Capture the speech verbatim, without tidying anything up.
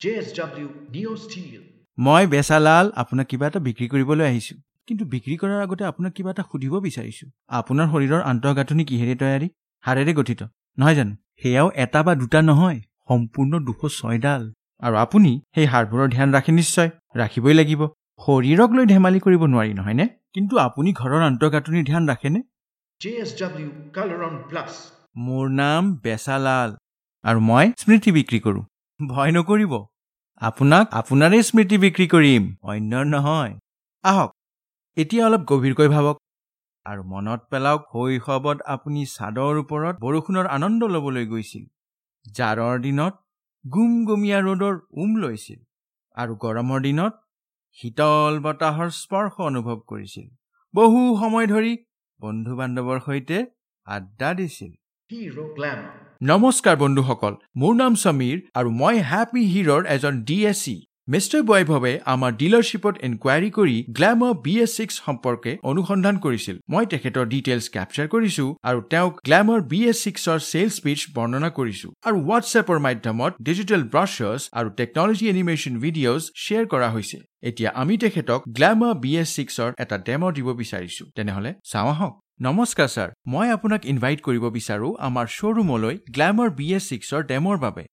J S W Neo Steel. মই বেচালাল, আপোনাক কিবা এটা বিক্ৰী কৰিবলৈ আহিছোঁ। কিন্তু বিক্ৰী কৰাৰ আগতে আপোনাক কিবা এটা সুধিব বিচাৰিছোঁ। আপোনাৰ শৰীৰৰ আন্তঃগাঁথনি কিহেৰে তৈয়াৰী? হাড়েৰে গঠিত, নহয় জানো? সেয়াও এটা বা দুটা নহয়, সম্পূৰ্ণ দুশ ছয়ডাল। আৰু আপুনি সেই হাড়বোৰৰ ধ্যান ৰাখে নিশ্চয়? ৰাখিবই লাগিব। শৰীৰক লৈ ধেমালি কৰিব নোৱাৰি, নহয়নে? কিন্তু আপুনি ঘৰৰ আন্তঃগাঁথনিৰ ধ্যান ৰাখেনে? J S W Coloron Plus. মোৰ নাম বেচালাল আৰু মই স্মৃতি বিক্ৰী কৰোঁ। ভয় নকৰিব, আপোনাক আপোনাৰে স্মৃতি বিক্ৰী কৰিম, অন্যৰ নহয়। আহক, এতিয়া অলপ গভীৰকৈ ভাবক আৰু মনত পেলাওক, শৈশৱত আপুনি চাদৰ ওপৰত বৰষুণৰ আনন্দ ল'বলৈ গৈছিল, জাৰৰ দিনত গুমগুমীয়া ৰ'দৰ উম লৈছিল আৰু গৰমৰ দিনত শীতল বতাহৰ স্পৰ্শ অনুভৱ কৰিছিল। বহু সময় ধৰি বন্ধু বান্ধৱৰ সৈতে আড্ডা দিছিল। Hero Glamour. নমস্কাৰ বন্ধুসকল, মোৰ নাম সমীৰ আৰু মই হেপী হিৰ'ৰ এজন ডি এছ চি। মিষ্টাৰ বৈভৱে আমাৰ ডিলাৰশ্বিপত এনকুৱাৰী কৰি গ্লেমাৰ বি এছ ছিক্স সম্পৰ্কে অনুসন্ধান কৰিছিল। মই তেখেতৰ ডিটেইলছ কেপচাৰ কৰিছোঁ আৰু তেওঁক গ্লেমাৰ বি এছ ছিক্সৰ চেলছ পিচ বৰ্ণনা কৰিছোঁ আৰু হোৱাটছএপৰ মাধ্যমত ডিজিটেল ব্ৰচাৰ্ছ আৰু টেকনলজি এনিমেশ্যন ভিডিঅ'জ শ্বেয়াৰ কৰা হৈছে। এতিয়া আমি তেখেতক গ্লেমাৰ বি এছ ছিক্সৰ এটা ডেম' দিব বিচাৰিছোঁ। তেনেহ'লে চাওঁ আহক। নমস্কাৰ ছাৰ, মই আপোনাক ইনভাইট কৰিব বিচাৰোঁ আমাৰ শ্ব'ৰুমলৈ গ্লেমাৰ বি এছ ছিক্সৰ ডেম'ৰ বাবে।